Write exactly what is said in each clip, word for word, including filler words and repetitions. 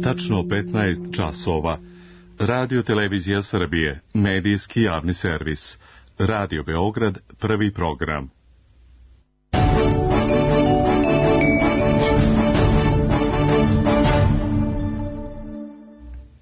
tačno petnaest časova. Radio Televizija Srbije, medijski javni servis. Radio Beograd, prvi program.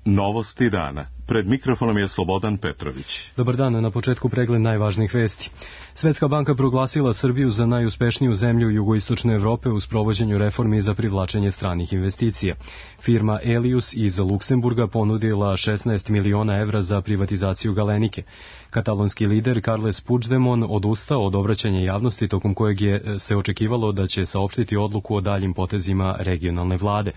Novosti dana. Pred mikrofonom je Slobodan Petrović. Dobar dan, na početku pregled najvažnijih vesti. Svetska banka proglasila Srbiju za najuspešniju zemlju jugoistočne Evrope u sprovođenju reformi za privlačenje stranih investicija. Firma Elius iz Luksemburga ponudila šesnaest miliona evra za privatizaciju Galenike. Katalonski lider Carles Puigdemont odustao od obraćanja javnosti tokom kojeg je se očekivalo da će saopštiti odluku o daljim potezima regionalne vlade.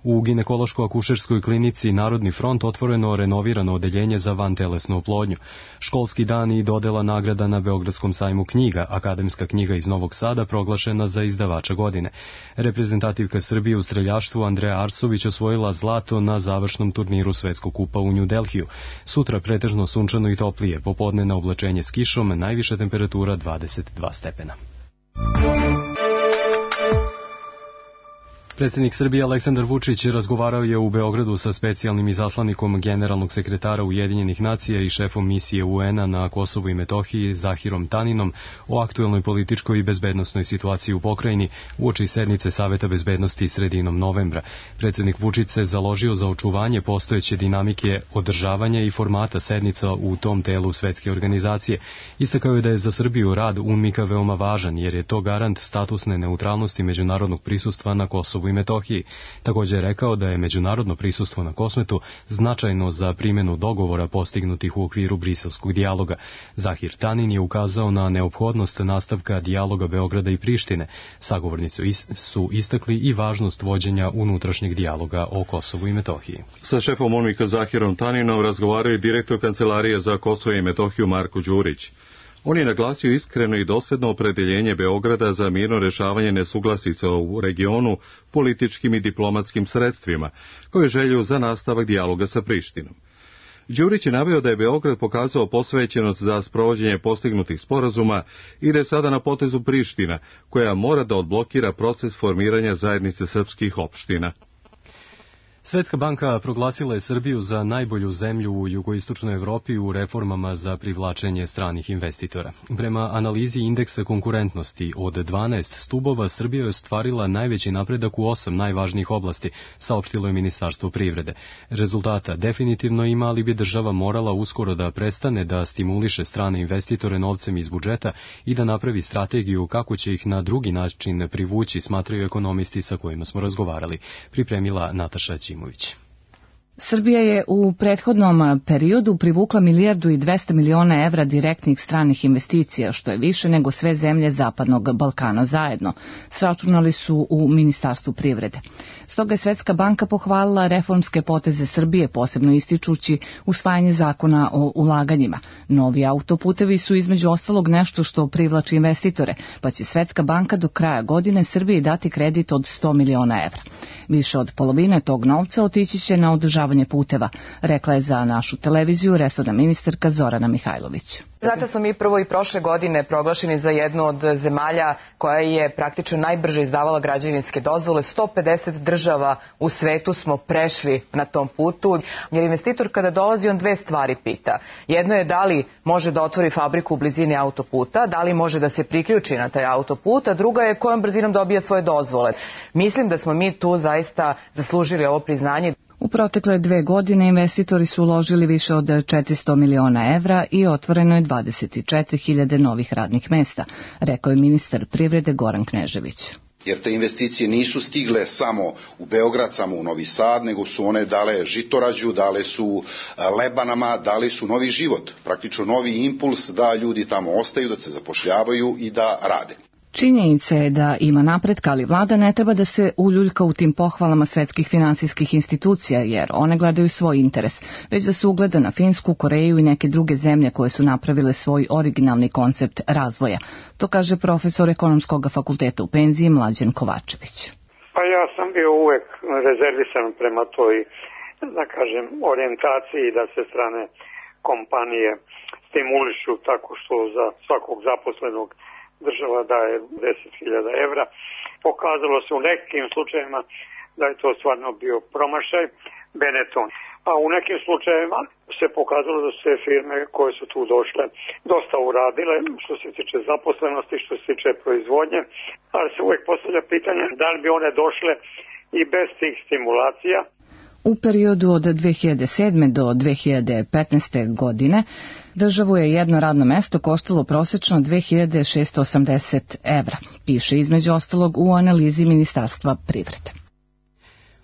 U ginekološko-akušerskoj klinici Narodni front otvoreno renovirano odeljenje za vantelesnu oplodnju. Školski dan i dodela nagrada na Beogradskom sajmu knjiga, akademska knjiga iz Novog Sada proglašena za izdavača godine. Reprezentativka Srbije u streljaštvu Andreja Arsović osvojila zlato na završnom turniru Svetskog kupa u New Delhiju. Sutra pretežno sunčano i toplije, popodne na oblačenje s kišom, najviša temperatura dvadeset dva stepena. Predsjednik Srbije Aleksandar Vučić razgovarao je u Beogradu sa specijalnim izaslanikom generalnog sekretara Ujedinjenih nacija i šefom misije U N-a na Kosovu i Metohiji Zahirom Taninom o aktuelnoj političkoj i bezbednosnoj situaciji u pokrajini uoči sednice Saveta bezbednosti sredinom novembra. Predsjednik Vučić se založio za očuvanje postojeće dinamike održavanja i formata sednica u tom telu svetske organizacije. Istakao je da je za Srbiju rad U N M I K-a veoma važan jer je to garant statusne neutralnosti međunarodnog prisustva na Kosovu i Metohiji. Također je rekao da je međunarodno prisustvo na Kosmetu značajno za primjenu dogovora postignutih u okviru briselskog dijaloga. Zahir Tanin je ukazao na neophodnost nastavka dijaloga Beograda i Prištine. Sagovornici su istakli i važnost vođenja unutrašnjeg dijaloga o Kosovu i Metohiji. Sa šefom U N M I K-a Zahirom Taninom razgovarao je direktor Kancelarije za Kosovo i Metohiju Marko Đurić. On je naglasio iskreno i dosljedno opredeljenje Beograda za mirno rješavanje nesuglasica u regionu političkim i diplomatskim sredstvima, koje želju za nastavak dijaloga sa Prištinom. Đurić je naveo da je Beograd pokazao posvećenost za sprovođenje postignutih sporazuma i da je sada na potezu Priština, koja mora da odblokira proces formiranja zajednice srpskih opština. Svetska banka proglasila je Srbiju za najbolju zemlju u jugoistočnoj Evropi u reformama za privlačenje stranih investitora. Prema analizi indeksa konkurentnosti od dvanaest stubova, Srbija je ostvarila najveći napredak u osam najvažnijih oblasti, saopštilo je Ministarstvo privrede. Rezultata definitivno ima, ali bi država morala uskoro da prestane da stimuliše strane investitore novcem iz budžeta i da napravi strategiju kako će ih na drugi način privući, smatraju ekonomisti sa kojima smo razgovarali. Pripremila Nataša Ćimović. Srbija je u prethodnom periodu privukla milijardu i dvesta miliona evra direktnih stranih investicija, što je više nego sve zemlje Zapadnog Balkana zajedno, sračunali su u Ministarstvu privrede. Stoga je Svetska banka pohvalila reformske poteze Srbije, posebno ističući usvajanje zakona o ulaganjima. Novi autoputevi su između ostalog nešto što privlači investitore, pa će Svetska banka do kraja godine Srbiji dati kredit od sto miliona evra. Više od polovine tog novca otići će na održavanje puteva, rekla je za našu televiziju resorna ministarka Zorana Mihajlović. Znate, smo mi prvo i prošle godine proglašeni za jednu od zemalja koja je praktično najbrže izdavala građevinske dozvole. sto pedeset država u svetu smo prešli na tom putu, jer investitor kada dolazi on dve stvari pita. Jedno je da li može da otvori fabriku u blizini autoputa, da li može da se priključi na taj autoput, a druga je kojom brzinom dobija svoje dozvole. Mislim da smo mi tu zaista zaslužili ovo priznanje. U protekle dve godine investitori su uložili više od četiristo miliona evra i otvoreno je dvadeset četiri hiljade novih radnih mesta, rekao je ministar privrede Goran Knežević. Jer te investicije nisu stigle samo u Beograd, samo u Novi Sad, nego su one dale Žitorađu, dale su Lebanama, dale su novi život, praktično novi impuls da ljudi tamo ostaju, da se zapošljavaju i da rade. Činjenica je da ima napretka, ali vlada ne treba da se uljuljka u tim pohvalama svetskih finansijskih institucija, jer one gledaju svoj interes, već da se ugleda na Finsku, Koreju i neke druge zemlje koje su napravile svoj originalni koncept razvoja. To kaže profesor ekonomskog fakulteta u penziji Mlađan Kovačević. Pa ja sam bio uvek rezervisan prema toj, da kažem, orijentaciji da se strane kompanije stimulišu tako što za svakog zaposlenog država daje deset hiljada evra. Pokazalo se u nekim slučajevima da je to stvarno bio promašaj, Benetton. A u nekim slučajevima se pokazalo da su se firme koje su tu došle dosta uradile što se tiče zaposlenosti, što se tiče proizvodnje, ali se uvijek postavlja pitanje da li bi one došle i bez tih stimulacija. U periodu od dve hiljade sedme do dve hiljade petnaeste godine državu je jedno radno mesto koštalo prosečno dve hiljade šessto osamdeset evra, piše između ostalog u analizi Ministarstva privrede.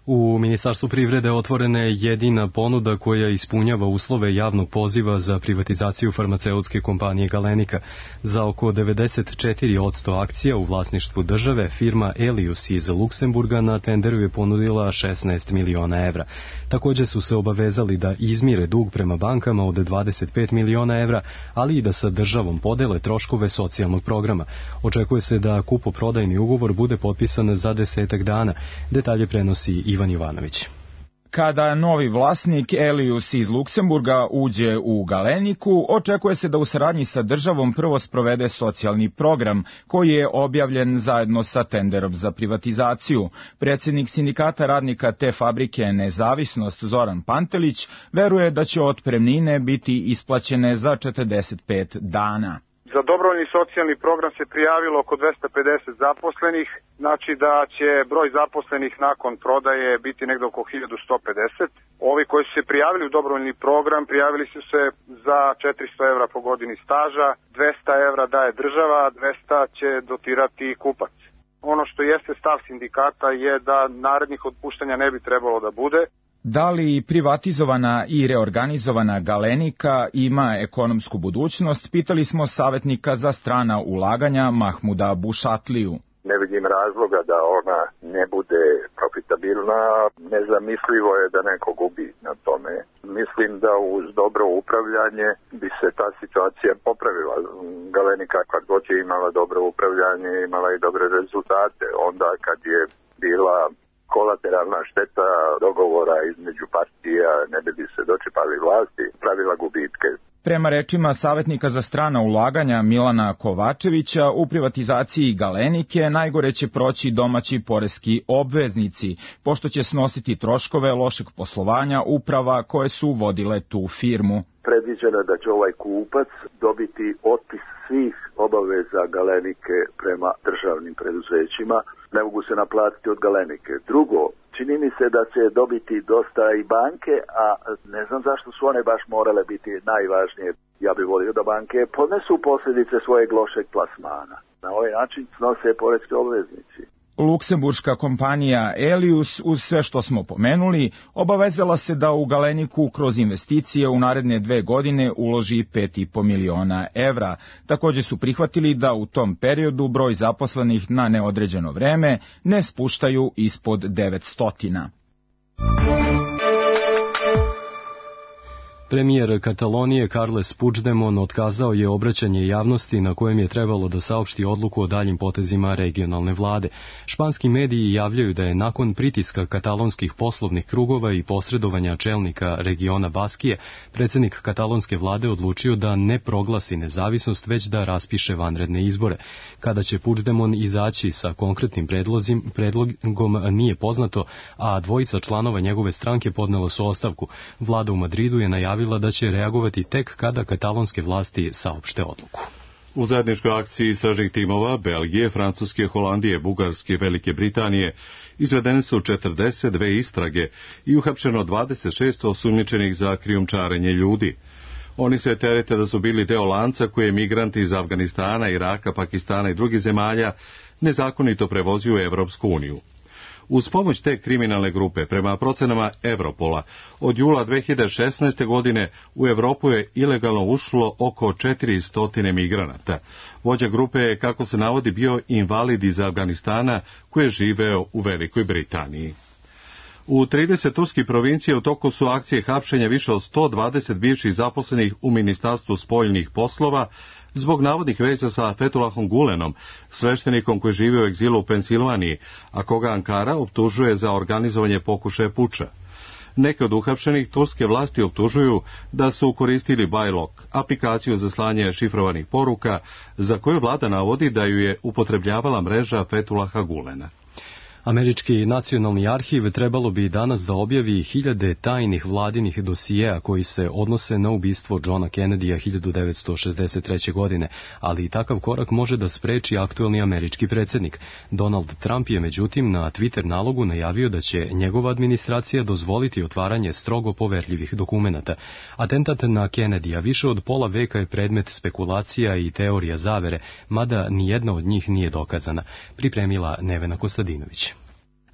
U Ministarstvu privrede otvorena je jedina ponuda koja ispunjava uslove javnog poziva za privatizaciju farmaceutske kompanije Galenika. Za oko devedeset četiri posto akcija u vlasništvu države firma Elius iz Luksemburga na tenderu je ponudila šesnaest miliona evra. Također su se obavezali da izmire dug prema bankama od dvadeset pet miliona evra, ali i da sa državom podele troškove socijalnog programa. Očekuje se da kupoprodajni ugovor bude potpisan za desetak dana. Detalje prenosi Ivan Jovanović. Kada novi vlasnik Elius iz Luksemburga uđe u Galeniku, očekuje se da u saradnji sa državom prvo sprovede socijalni program, koji je objavljen zajedno sa tenderom za privatizaciju. Predsjednik sindikata radnika te fabrike Nezavisnost Zoran Pantelić veruje da će otpremnine biti isplaćene za četrdeset pet dana. Za dobrovoljni socijalni program se prijavilo oko dvesta pedeset zaposlenih, znači da će broj zaposlenih nakon prodaje biti negdje oko hiljadu sto pedeset. Ovi koji su se prijavili u dobrovoljni program prijavili su se za četiristo evra po godini staža, dvesta evra daje država, dvesta će dotirati kupac. Ono što jeste stav sindikata je da narednih otpuštanja ne bi trebalo da bude. Da li privatizovana i reorganizovana Galenika ima ekonomsku budućnost, pitali smo savjetnika za strana ulaganja Mahmuda Bušatliju. Ne vidim razloga da ona ne bude profitabilna, nezamislivo je da neko gubi na tome. Mislim da uz dobro upravljanje bi se ta situacija popravila. Galenika kad god je imala dobro upravljanje, imala i dobre rezultate. Onda kad je bila kolateralna šteta dogovora između partija, ne bi se dočepali vlasti, pravila gubitke. Prema rečima savjetnika za strana ulaganja Milana Kovačevića, u privatizaciji Galenike najgore će proći domaći poreski obveznici, pošto će snositi troškove lošeg poslovanja uprava koje su vodile tu firmu. Predviđeno je da će ovaj kupac dobiti otpis svih obaveza Galenike prema državnim preduzećima, ne mogu se naplatiti od Galenike. Drugo, čini mi se da će dobiti dosta i banke, a ne znam zašto su one baš morale biti najvažnije. Ja bih volio da banke podnesu posljedice svojeg lošeg plasmana. Na ovaj način snose poreski obveznici. Luksemburška kompanija Elius, uz sve što smo pomenuli, obavezala se da u Galeniku kroz investicije u naredne dve godine uloži pet i po miliona evra. Također su prihvatili da u tom periodu broj zaposlenih na neodređeno vreme ne spuštaju ispod devetsto. Premijer Katalonije Carles Puigdemont otkazao je obraćanje javnosti na kojem je trebalo da saopšti odluku o daljim potezima regionalne vlade. Španski mediji javljaju da je nakon pritiska katalonskih poslovnih krugova i posredovanja čelnika regiona Baskije, predsjednik katalonske vlade odlučio da ne proglasi nezavisnost, već da raspiše vanredne izbore. Kada će Puigdemont izaći sa konkretnim predlozim, predlogom nije poznato, a dvojica članova njegove stranke podnelo su ostavku. Vlada u Madridu je najavila da će reagovati tek kada katalonske vlasti saopšte odluku. U zajedničkoj akciji istražnih timova Belgije, Francuske, Holandije, Bugarske i Velike Britanije izvedene su četrdeset dve istrage i uhapšeno dvadeset šest osumnjičenih za krijumčarenje ljudi. Oni se terete da su bili deo lanca koje migranti iz Afganistana, Iraka, Pakistana i drugih zemalja nezakonito prevozio u Evropsku uniju. Uz pomoć te kriminalne grupe, prema procenama Europola, od jula dve hiljade šesnaeste. godine u Europu je ilegalno ušlo oko četiristo migranata. Vođa grupe je, kako se navodi, bio invalid iz Afganistana koji je živeo u Velikoj Britaniji. U trideset turskih provincija u toku su akcije hapšenja više od sto dvadeset bivših zaposlenih u Ministarstvu spoljnih poslova zbog navodnih veza sa Fethullahom Gulenom, sveštenikom koji živi u egzilu u Pensilvaniji, a koga Ankara optužuje za organizovanje pokušaja puča. Neke od uhapšenih turske vlasti optužuju da su koristili Bajlok, aplikaciju za slanje šifrovanih poruka, za koju vlada navodi da ju je upotrebljavala mreža Fethullaha Gulena. Američki nacionalni arhiv trebalo bi danas da objavi hiljade tajnih vladinih dosijeja koji se odnose na ubistvo Johna Kennedya hiljadu devetsto šezdeset treće. godine, ali i takav korak može da spreči aktuelni američki predsjednik. Donald Trump je međutim na Twitter nalogu najavio da će njegova administracija dozvoliti otvaranje strogo poverljivih dokumenata. Atentat na Kennedya više od pola veka je predmet spekulacija i teorija zavere, mada nijedna od njih nije dokazana, pripremila Nevena Kostadinović.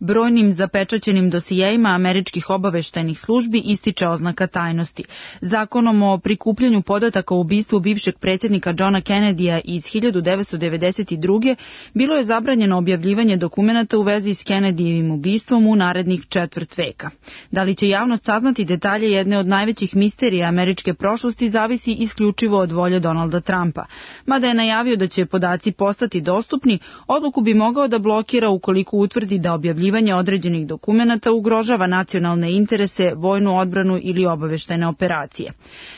Brojnim zapečaćenim dosijejima američkih obaveštajnih službi ističe oznaka tajnosti. Zakonom o prikupljanju podataka o ubistvu bivšeg predsjednika Johna Kennedya iz hiljadu devetsto devedeset druge. bilo je zabranjeno objavljivanje dokumenata u vezi s Kennedyjevim ubistvom u narednih četvrt veka. Da li će javnost saznati detalje jedne od najvećih misterija američke prošlosti zavisi isključivo od volje Donalda Trumpa. Mada je najavio da će podaci postati dostupni, odluku bi mogao da blokira ukoliko utvrdi da objavljivanje određenih dokumenata ugrožava nacionalne interese, vojnu odbranu ili obaveštajne operacije.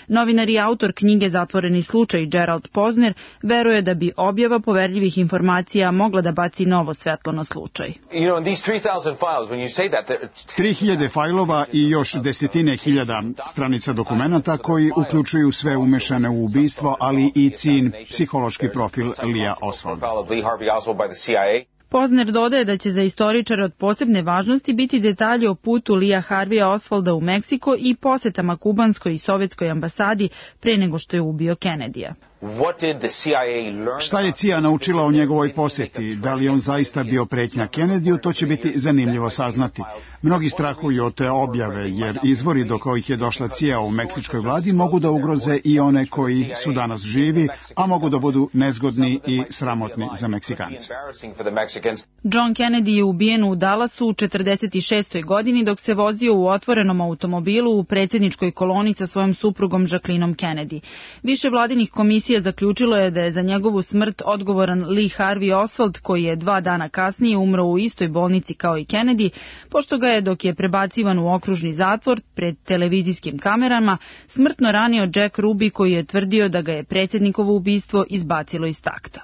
Novinar i autor knjige Zatvoreni slučaj Gerald Posner veruje da bi objava poverljivih informacija mogla da baci novo svetlo na slučaj. tri hiljade fajlova i još desetine hiljada stranica dokumenata koji uključuju sve umešane u ubistvo, ali i cin psihološki profil Leea Oswalda. Posner dodaje da će za istoričare od posebne važnosti biti detalji o putu Leea Harveya Oswalda u Meksiko i posetama kubanskoj i sovjetskoj ambasadi pre nego što je ubio Kennedyja. Šta je C I A naučila o njegovoj posjeti? Da li on zaista bio pretnja Kennedyu, to će biti zanimljivo saznati. Mnogi strahuju od te objave, jer izvori do kojih je došla C I A u meksičkoj vladi mogu da ugroze i one koji su danas živi, a mogu da budu nezgodni i sramotni za Meksikance. John Kennedy je ubijen u Dallasu u četrdeset šestoj. godini dok se vozio u otvorenom automobilu u predsjedničkoj koloni sa svojom suprugom Jacquelineom Kennedy. Više vladinih komisija zaključilo je da je za njegovu smrt odgovoran Lee Harvey Oswald, koji je dva dana kasnije umro u istoj bolnici kao i Kennedy, pošto ga je, dok je prebacivan u okružni zatvor pred televizijskim kamerama, smrtno ranio Jack Ruby, koji je tvrdio da ga je predsjednikovo ubistvo izbacilo iz takta.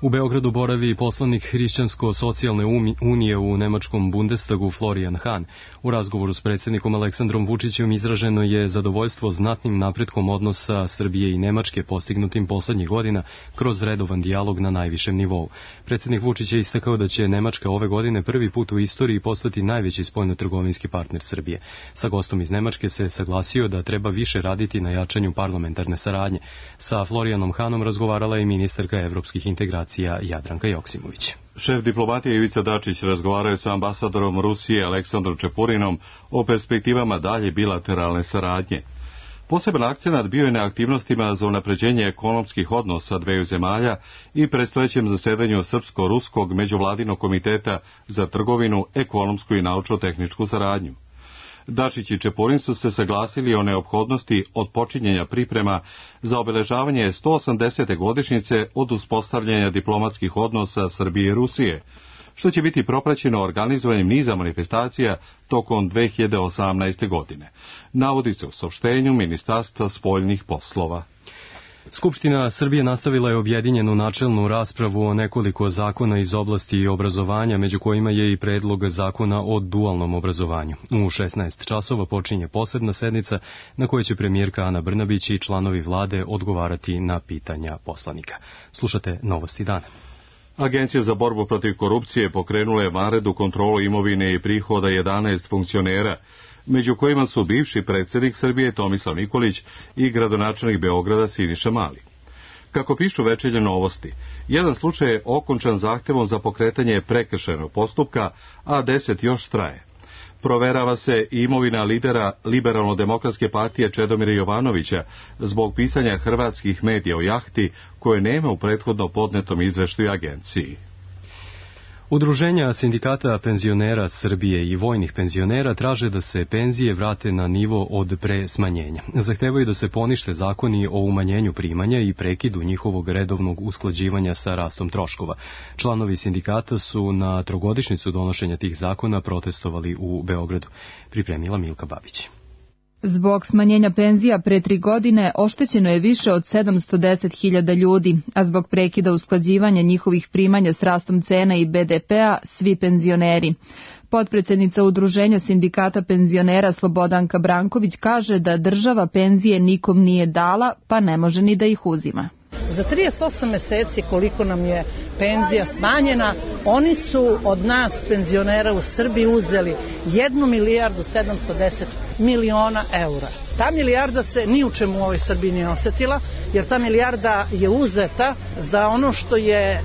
U Beogradu boravi poslanik Hrišćansko-socijalne unije u nemačkom Bundestagu Florian Hahn. U razgovoru s predsjednikom Aleksandrom Vučićem izraženo je zadovoljstvo znatnim napretkom odnosa Srbije i Nemačke postignutim poslednjih godina kroz redovan dijalog na najvišem nivou. Predsjednik Vučić je istakao da će Nemačka ove godine prvi put u istoriji postati najveći spoljnotrgovinski partner Srbije. Sa gostom iz Nemačke se saglasio da treba više raditi na jačanju parlamentarne saradnje. Sa Florianom Hahnom razgovarala je ministarka evropskih integracija Jadranka Joksimović. Šef diplomatije Ivica Dačić razgovarao je sa ambasadorom Rusije Aleksandrom Čepurinom o perspektivama dalje bilateralne saradnje. Poseban akcenat bio je na aktivnostima za unapređenje ekonomskih odnosa dveju zemalja i predstojećem zasedanju Srpsko-Ruskog međuvladinog komiteta za trgovinu, ekonomsku i naučno-tehničku saradnju. Dačić i Čepurin su se saglasili o neophodnosti odpočinjenja priprema za obeležavanje sto osamdesete godišnjice od uspostavljanja diplomatskih odnosa Srbije i Rusije, što će biti propraćeno organizovanjem niza manifestacija tokom dve hiljade osamnaeste. godine. Navodi se u saopštenju Ministarstva spoljnih poslova. Skupština Srbije nastavila je objedinjenu načelnu raspravu o nekoliko zakona iz oblasti obrazovanja, među kojima je i predlog zakona o dualnom obrazovanju. U šesnaest časova počinje posebna sednica na kojoj će premijerka Ana Brnabić i članovi vlade odgovarati na pitanja poslanika. Slušate Novosti dana. Agencija za borbu protiv korupcije pokrenula je vanrednu kontrolu imovine i prihoda jedanaest funkcionera, među kojima su bivši predsjednik Srbije Tomislav Nikolić i gradonačelnik Beograda Siniša Mali. Kako pišu Večernje novosti, jedan slučaj je okončan zahtevom za pokretanje prekršajnog postupka, a deset još traje. Proverava se i imovina lidera Liberalno-demokratske partije Čedomira Jovanovića zbog pisanja hrvatskih medija o jahti koje nema u prethodno podnetom izveštaju agenciji. Udruženja sindikata penzionera Srbije i vojnih penzionera traže da se penzije vrate na nivo od pre smanjenja. Zahtevaju da se ponište zakoni o umanjenju primanja i prekidu njihovog redovnog usklađivanja sa rastom troškova. Članovi sindikata su na trogodišnjicu donošenja tih zakona protestovali u Beogradu. Pripremila Milka Babić. Zbog smanjenja penzija pre tri godine oštećeno je više od sedamsto deset hiljada ljudi, a zbog prekida usklađivanja njihovih primanja s rastom cena i be de pea svi penzioneri. Potpredsednica Udruženja sindikata penzionera Slobodanka Branković kaže da država penzije nikom nije dala, pa ne može ni da ih uzima. Za trideset osam meseci koliko nam je penzija smanjena, oni su od nas penzionera u Srbiji uzeli jednu milijardu sedamsto deset miliona eura. Ta milijarda se ni u čemu u ovoj Srbiji nije osetila, jer ta milijarda je uzeta za ono što je, e,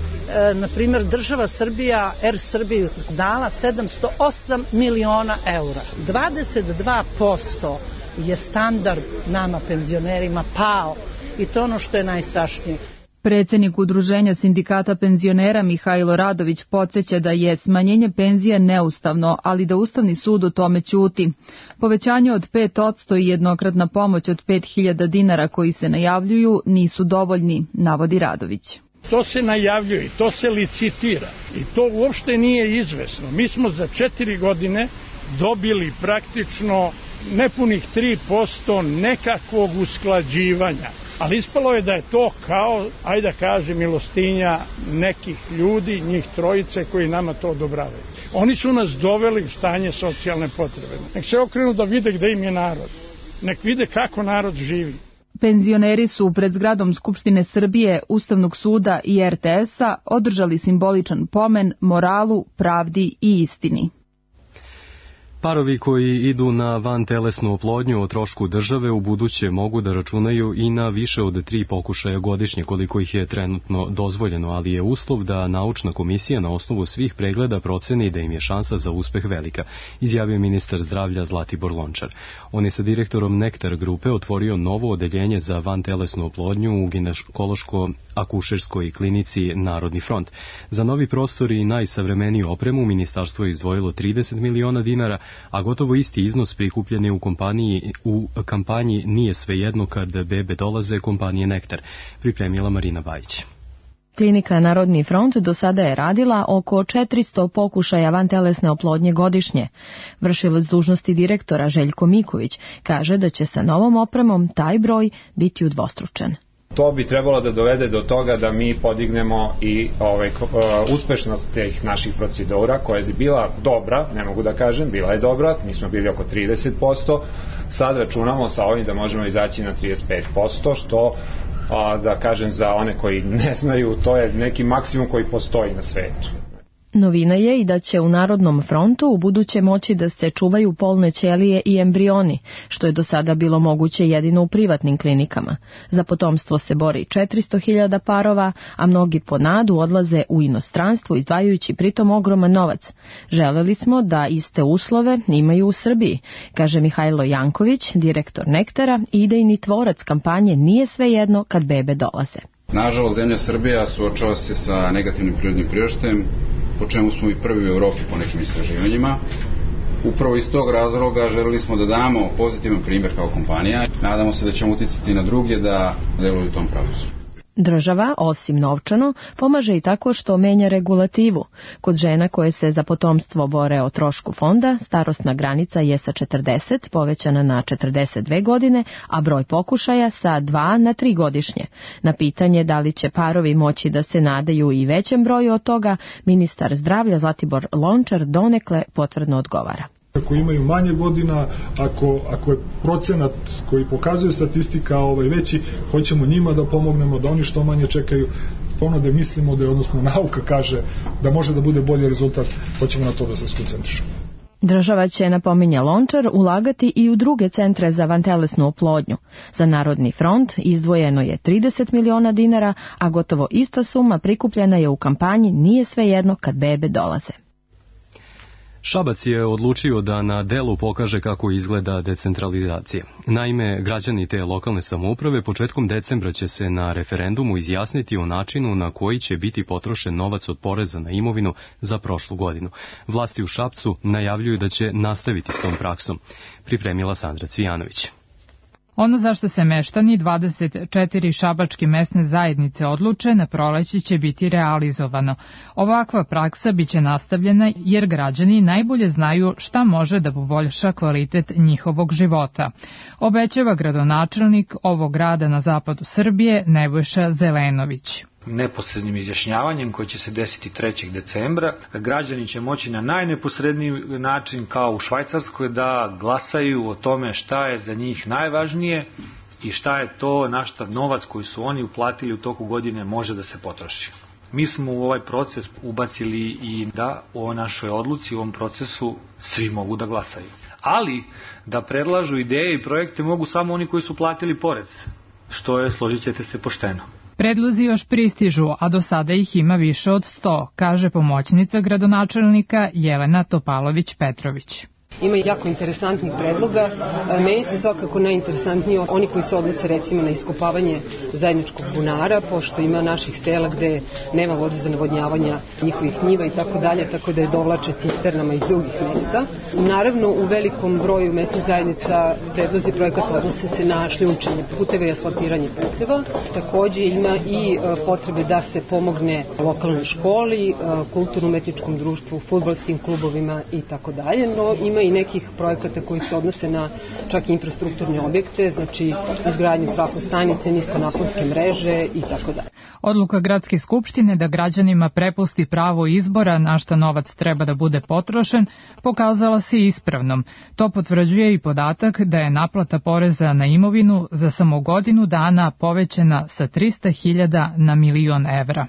na primjer, država Srbija, Er Srbiji dala sedamsto osam miliona eura. dvadeset dva posto je standard nama penzionerima pao i to ono što je najstrašnije. Predsednik Udruženja sindikata penzionera Mihajlo Radović podsjeća da je smanjenje penzija neustavno, ali da Ustavni sud o tome ćuti. Povećanje od pet posto i jednokratna pomoć od pet hiljada dinara koji se najavljuju nisu dovoljni, navodi Radović. To se najavljuje, to se licitira i to uopšte nije izvesno. Mi smo za četiri godine dobili praktično nepunih tri posto nekakvog usklađivanja. Ali ispalo je da je to kao, ajde da kažem, milostinja nekih ljudi, njih trojice koji nama to odobravaju. Oni su nas doveli u stanje socijalne potrebe. Nek se okrenu da vide gde im je narod. Nek vide kako narod živi. Penzioneri su pred zgradom Skupštine Srbije, Ustavnog suda i er te es-a održali simboličan pomen moralu, pravdi i istini. Parovi koji idu na vantelesnu oplodnju o trošku države u buduće mogu da računaju i na više od tri pokušaja godišnje koliko ih je trenutno dozvoljeno, ali je uslov da naučna komisija na osnovu svih pregleda proceni da im je šansa za uspeh velika, izjavio ministar zdravlja Zlatibor Lončar. On je sa direktorom Nektar grupe otvorio novo odeljenje za vantelesnu oplodnju u ginekološko-akušerskoj klinici Narodni front. Za novi prostor i najsavremeniju opremu ministarstvo je izdvojilo trideset miliona dinara, a gotovo isti iznos prikupljen je u, kompaniji, u kampanji Nije svejedno kad bebe dolaze kompanije Nektar, pripremila Marina Bajić. Klinika Narodni front do sada je radila oko četiristo pokušaja vantelesne oplodnje godišnje. Vršilac dužnosti direktora Željko Miković kaže da će sa novom opremom taj broj biti udvostručen. To bi trebalo da dovede do toga da mi podignemo i ovaj, uspešnost tih naših procedura koja je bila dobra, ne mogu da kažem, bila je dobra, mi smo bili oko trideset posto, sad računamo sa ovim da možemo izaći na trideset pet posto, što da kažem za one koji ne znaju, to je neki maksimum koji postoji na svetu. Novina je i da će u Narodnom frontu u buduće moći da se čuvaju polne ćelije i embrioni, što je do sada bilo moguće jedino u privatnim klinikama. Za potomstvo se bori četiristo hiljada parova, a mnogi po nadu odlaze u inostranstvo izdvajajući pritom ogroman novac. Želeli smo da iste uslove imaju u Srbiji, kaže Mihajlo Janković, direktor Nektara i idejni tvorac kampanje Nije svejedno kad bebe dolaze. Nažalost, zemlja Srbija suočava se sa negativnim prirodnim priraštajem, po čemu smo i prvi u Evropi po nekim istraživanjima. Upravo iz tog razloga želeli smo da damo pozitivan primjer kao kompanija. Nadamo se da ćemo uticati na druge da deluju u tom pravcu. Država, osim novčano, pomaže i tako što menja regulativu. Kod žena koje se za potomstvo bore o trošku fonda, starosna granica je sa četrdeset povećana na četrdeset dve godine, a broj pokušaja sa dva na tri godišnje. Na pitanje da li će parovi moći da se nadaju i većem broju od toga, ministar zdravlja Zlatibor Lončar donekle potvrdno odgovara. Ako imaju manje godina, ako, ako je procenat koji pokazuje statistika ovaj veći, hoćemo njima da pomognemo, da oni što manje čekaju, ono da mislimo da je, odnosno nauka kaže da može da bude bolji rezultat, hoćemo na to da se skoncentrišemo. Država će, napominja Lončar, ulagati i u druge centre za vantelesnu oplodnju. Za Narodni front izdvojeno je trideset miliona dinara, a gotovo ista suma prikupljena je u kampanji Nije svejedno kad bebe dolaze. Šabac je odlučio da na delu pokaže kako izgleda decentralizacija. Naime, građani te lokalne samouprave početkom decembra će se na referendumu izjasniti o načinu na koji će biti potrošen novac od poreza na imovinu za prošlu godinu. Vlasti u Šapcu najavljuju da će nastaviti s tom praksom, pripremila Sandra Cvijanović. Ono zašto se meštani dvadeset četiri šabačke mesne zajednice odluče na proleće će biti realizovano. Ovakva praksa biće nastavljena jer građani najbolje znaju šta može da poboljša kvalitet njihovog života. Obećava gradonačelnik ovog grada na zapadu Srbije Nebojša Zelenović. Neposrednim izjašnjavanjem koji će se desiti trećeg decembra, građani će moći na najneposredniji način kao u Švajcarskoj da glasaju o tome šta je za njih najvažnije i šta je to na šta novac koji su oni uplatili u toku godine može da se potroši. Mi smo u ovaj proces ubacili i da o našoj odluci u ovom procesu svi mogu da glasaju. Ali da predlažu ideje i projekte mogu samo oni koji su platili porez, što je, složit ćete se, pošteno. Predlozi još pristižu, a do sada ih ima više od sto, kaže pomoćnica gradonačelnika Jelena Topalović-Petrović. Ima jako interesantnih predloga. Meni su svakako najinteresantniji oni koji se odnose recimo na iskopavanje zajedničkog bunara, pošto ima naših sela gde nema vode za navodnjavanja njihovih njiva i tako dalje, tako da je dovlače cisternama iz drugih mesta. Naravno, u velikom broju mesnih zajednica predlozi projekata odnose se na šljunčenje puteva i asfaltiranje puteva. Takođe ima i potrebe da se pomogne lokalnoj školi, kulturno-umetničkom društvu, fudbalskim klubovima i tako dalje, no ima i nekih projekata koji se odnose na čak i infrastrukturne objekte, znači izgradnju trafostanice, niskonaponske mreže i tako dalje. Odluka Gradske skupštine da građanima prepusti pravo izbora na šta novac treba da bude potrošen pokazala se ispravnom. To potvrđuje i podatak da je naplata poreza na imovinu za samo godinu dana povećana sa trista hiljada na milion evra.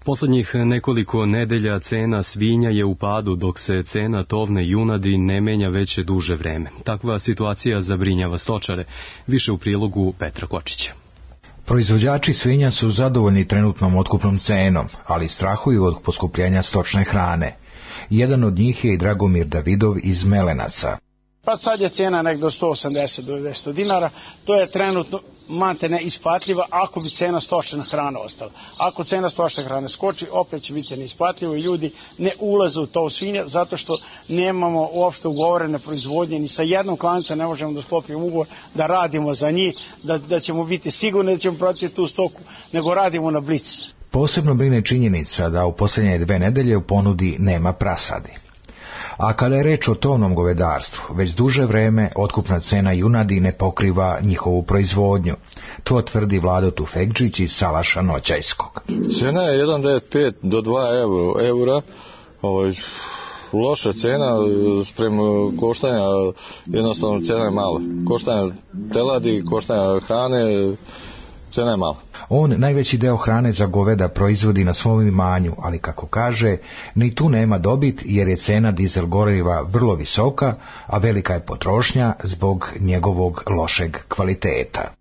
Poslednjih nekoliko nedelja cena svinja je u padu, dok se cena tovne junadi ne menja već duže vreme. Takva situacija zabrinjava stočare. Više u prilogu Petra Kočića. Proizvođači svinja su zadovoljni trenutnom otkupnom cenom, ali strahuju od poskupljenja stočne hrane. Jedan od njih je i Dragomir Davidov iz Melenaca. Pa sad je cena nek do sto osamdeset do dvesta dinara, to je trenutno mante neisplatljiva ako bi cena stočne hrane ostala. Ako cena stočne hrane skoči, opet će biti neisplatljivo i ljudi ne ulaze u to svinja zato što nemamo uopšte ugovorene proizvodnje, ni sa jednom klancem ne možemo da sklopimo ugovor da radimo za njih, da, da ćemo biti sigurni da ćemo pratiti tu stoku, nego radimo na blic. Posebno brine činjenica da u posljednje dve nedelje u ponudi nema prasadi. A kada je reč o tovnom govedarstvu, već duže vreme otkupna cena junadi ne pokriva njihovu proizvodnju. To tvrdi Vlado Tufekđić iz Salaša Noćajskog. Cena je jedan zarez devedeset pet do dva eura. Ovaj, loša cena sprem koštanja, jednostavno cena je mala. Koštanja teladi, koštanja hrane, cena je mala. On najveći deo hrane za goveda proizvodi na svom imanju, ali kako kaže, ni tu nema dobit jer je cena dizel goriva vrlo visoka, a velika je potrošnja zbog njegovog lošeg kvaliteta.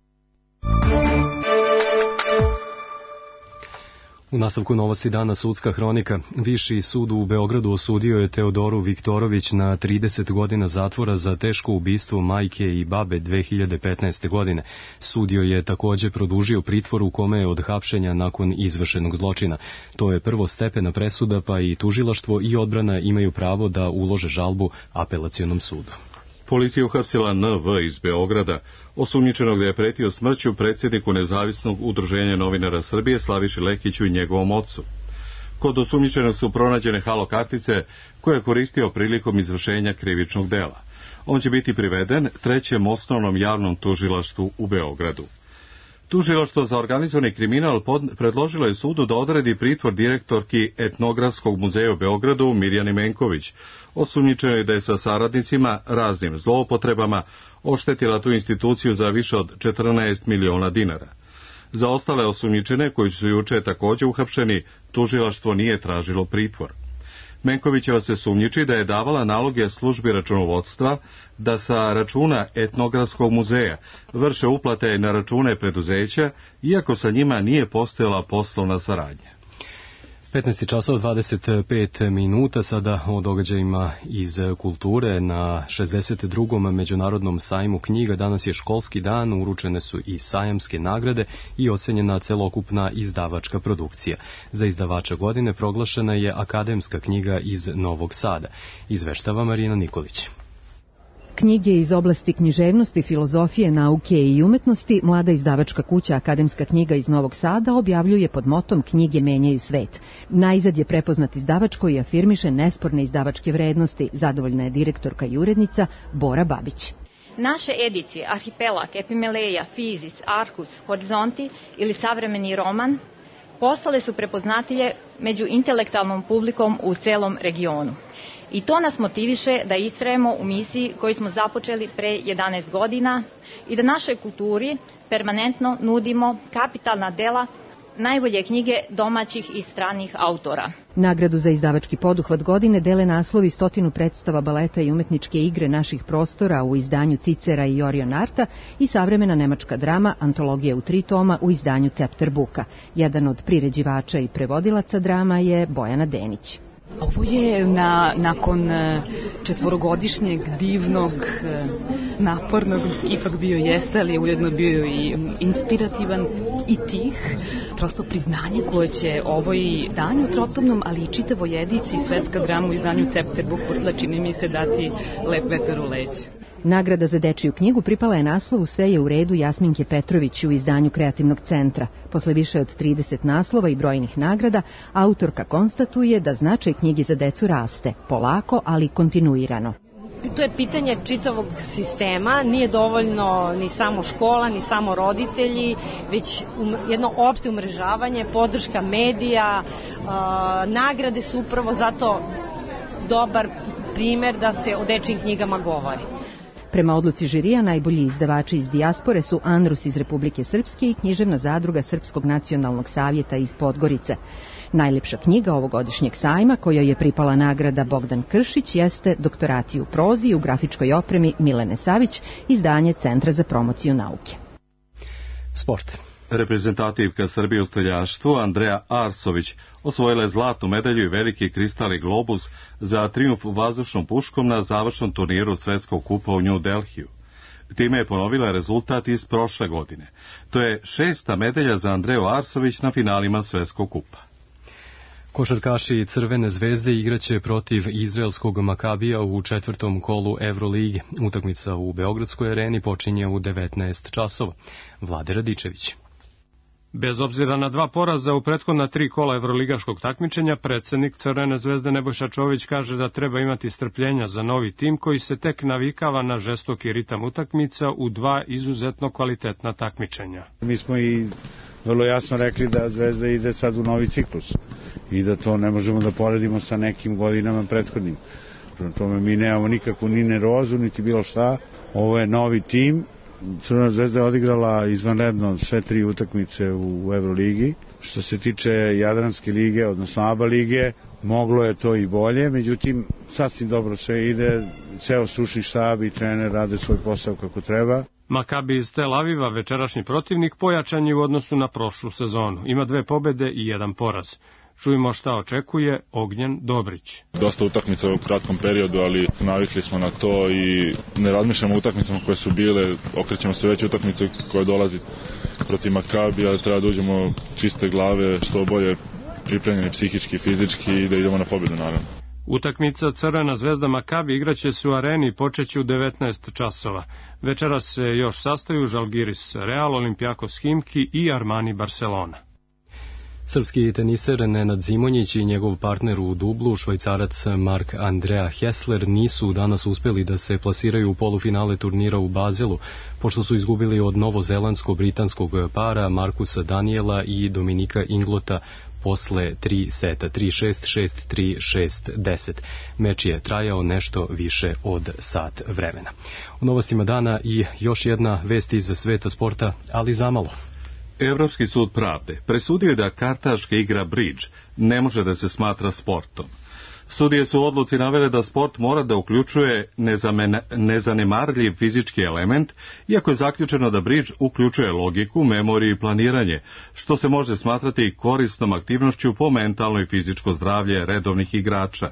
U nastavku novosti dana sudska hronika. Viši sud u Beogradu osudio je Teodoru Viktorović na trideset godina zatvora za teško ubistvo majke i babe dve hiljade petnaeste. godine. Sudio je takođe produžio pritvor u kome je od hapšenja nakon izvršenog zločina. To je prvostepena presuda, pa i tužilaštvo i odbrana imaju pravo da ulože žalbu apelacionom sudu. Policija uhapsila en ve iz Beograda, osumnjičenog da je pretio smrću predsjedniku Nezavisnog udruženja novinara Srbije Slaviši Lekiću i njegovom ocu. Kod osumnjičenog su pronađene halo kartice koje je koristio prilikom izvršenja krivičnog dela. On će biti priveden trećem osnovnom javnom tužilaštvu u Beogradu. Tužilaštvo za organizovani kriminal predložilo je sudu da odredi pritvor direktorki Etnografskog muzeja u Beogradu Mirjani Menković. Osumnjičeno je da je sa saradnicima raznim zloupotrebama oštetila tu instituciju za više od četrnaest miliona dinara. Za ostale osumnjičene, koji su juče takođe uhapšeni, tužilaštvo nije tražilo pritvor. Menkovićeva se sumnjiči da je davala naloge službi računovodstva da sa računa Etnografskog muzeja vrše uplate na račune preduzeća, iako sa njima nije postojala poslovna saradnja. petnaest časova dvadeset pet minuta, sada o događajima iz kulture. Na šezdeset drugom međunarodnom sajmu knjiga danas je školski dan, uručene su i sajamske nagrade i ocenjena celokupna izdavačka produkcija. Za izdavača godine proglašena je akademska knjiga iz Novog Sada. Izveštava Marina Nikolić. knjige iz oblasti književnosti, filozofije, nauke i umetnosti, mlada izdavačka kuća Akademska knjiga iz Novog Sada objavljuje pod motom Knjige menjaju svet. Najzad je prepoznat izdavač koji afirmiše nesporne izdavačke vrednosti, zadovoljna je direktorka i urednica Bora Babić. Naše edicije Arhipelag, Epimeleja, Fizis, Arkus, Horizonti ili Savremeni roman postale su prepoznatljive među intelektualnom publikom u celom regionu. I to nas motiviše da istrajemo u misiji koju smo započeli pre jedanaest godina i da našoj kulturi permanentno nudimo kapitalna dela, najbolje knjige domaćih i stranih autora. Nagradu za izdavački poduhvat godine dele naslovi stotinu predstava baleta i umetničke igre naših prostora u izdanju Cicera i Orion Arta i savremena nemačka drama Antologija u tri toma u izdanju Cepter Buka. Jedan od priređivača i prevodilaca drama je Bojana Denić. Ovo je na, nakon četvorogodišnjeg, divnog, napornog, ipak bio jeste, ali ujedno bio i inspirativan i tih, prosto priznanje koje će ovoj danju trotomnom, ali i čitavoj edici svetska drama u izdanju Cepter Buk posle, čini mi se, dati lep vetar u leđa. Nagrada za dečiju knjigu pripala je naslovu Sve je u redu Jasminke Petrović u izdanju Kreativnog centra. Posle više od trideset naslova i brojnih nagrada, autorka konstatuje da značaj knjige za decu raste, polako, ali kontinuirano. To je pitanje čitavog sistema, nije dovoljno ni samo škola, ni samo roditelji, već jedno opšte umrežavanje, podrška medija, nagrade su upravo zato dobar primer da se o dečjim knjigama govori. Prema odluci žirija, najbolji izdavači iz dijaspore su Andrus iz Republike Srpske i književna zadruga Srpskog nacionalnog savjeta iz Podgorice. Najlepša knjiga ovogodišnjeg sajma, kojoj je pripala nagrada Bogdan Kršić, jeste Doktorati u prozi i u grafičkoj opremi Milene Savić, izdanje Centra za promociju nauke. Sport. Reprezentativka Srbije u streljaštvu Andreja Arsović osvojila je zlatnu medalju i veliki kristalni globus za trijumf vazdušnom puškom na završnom turniru Svetskog kupa u New Delhiju. Time je ponovila rezultat iz prošle godine. To je šesta medalja za Andreju Arsović na finalima Svetskog kupa. Košarkaši Crvene zvezde igraće protiv izraelskog Makabija u četvrtom kolu Evrolige. Utakmica u Beogradskoj areni počinje u devetnaest časova. Vlade Radičević. Bez obzira na dva poraza u prethodna tri kola evroligaškog takmičenja, predsednik Crvene zvezde Nebojša Čović kaže da treba imati strpljenja za novi tim koji se tek navikava na žestoki ritam utakmica u dva izuzetno kvalitetna takmičenja. Mi smo i vrlo jasno rekli da Zvezda ide sad u novi ciklus i da to ne možemo da poredimo sa nekim godinama prethodnim. Prema tome mi nemamo nikakvu ni nervozu, niti bilo šta. Ovo je novi tim. Crvena zvezda je odigrala izvanredno sve tri utakmice u Evroligi. Što se tiče Jadranske lige, odnosno A B A lige, moglo je to i bolje, međutim sasvim dobro sve ide, ceo stručni štab i trener rade svoj posao kako treba. Makabi iz Tel Aviva, večerašnji protivnik, pojačan je u odnosu na prošlu sezonu. Ima dve pobede i jedan poraz. Čujemo šta očekuje Ognjen Dobrić. Dosta utakmica u kratkom periodu, ali navikli smo na to i ne razmišljamo o utakmicama koje su bile, okrećemo se već utakmice koje dolazi protiv Makabija, treba da uđemo čiste glave, što bolje pripremljeni psihički, fizički i da idemo na pobedu naravno. Utakmica Crvena zvezda Makabi igraće se u areni i počeće u devetnaest časova. Večeras se još sastaju Žalgiris Real, Olimpijakos Himki i Armani Barcelona. Srpski teniser Nenad Zimonjić i njegov partner u dublu, Švajcarac Mark Andrea Hessler, nisu danas uspeli da se plasiraju u polufinale turnira u Bazelu, pošto su izgubili od novozelandsko-britanskog para Markusa Daniela i Dominika Inglota posle tri seta, tri šest, šest tri, šest deset. Meč je trajao nešto više od sat vremena. U novostima dana i još jedna vest iz sveta sporta, ali zamalo. Evropski sud pravde presudio je da kartaška igra bridge ne može da se smatra sportom. Sudije su u odluci navele da sport mora da uključuje nezanemarljiv fizički element, iako je zaključeno da bridge uključuje logiku, memoriju i planiranje, što se može smatrati korisnom aktivnošću po mentalno i fizičko zdravlje redovnih igrača.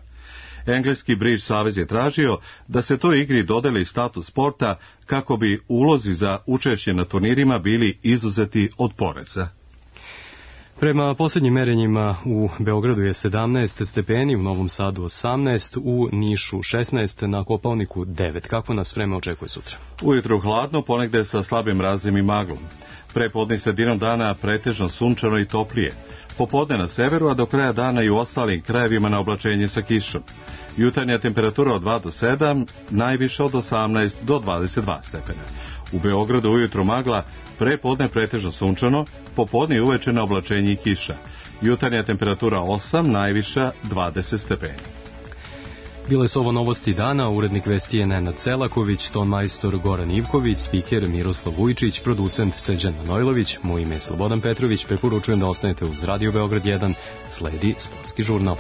Engleski bridge savez je tražio da se toj igri dodeli status sporta kako bi ulozi za učešće na turnirima bili izuzeti od poreza. Prema posljednjim merenjima u Beogradu je sedamnaest stepeni, u Novom Sadu osamnaest, u Nišu šesnaest, na Kopaoniku devet. Kako nas vreme očekuje sutra? Ujutru hladno, ponegde sa slabim mrazom i maglom. Prepodne sredinom dana pretežno sunčano i toplije. Popodne na severu, a do kraja dana i u ostalim krajevima na oblačenje sa kišom. Jutarnja temperatura od dva do sedam, najviše od osamnaest do dvadeset dva stepena. U Beogradu ujutru magla, prepodne pretežno sunčano, popodne i uveče na oblačenje i kiša. Jutarnja temperatura osam, najviša dvadeset stepeni. Bile su ovo novosti dana, urednik vesti je Nenad Celaković, ton majstor Goran Ivković, spiker Miroslav Vujčić, producent Srđan Manojlović, moje ime je Slobodan Petrović, preporučujem da ostanete uz Radio Beograd jedan, sledi sportski žurnal.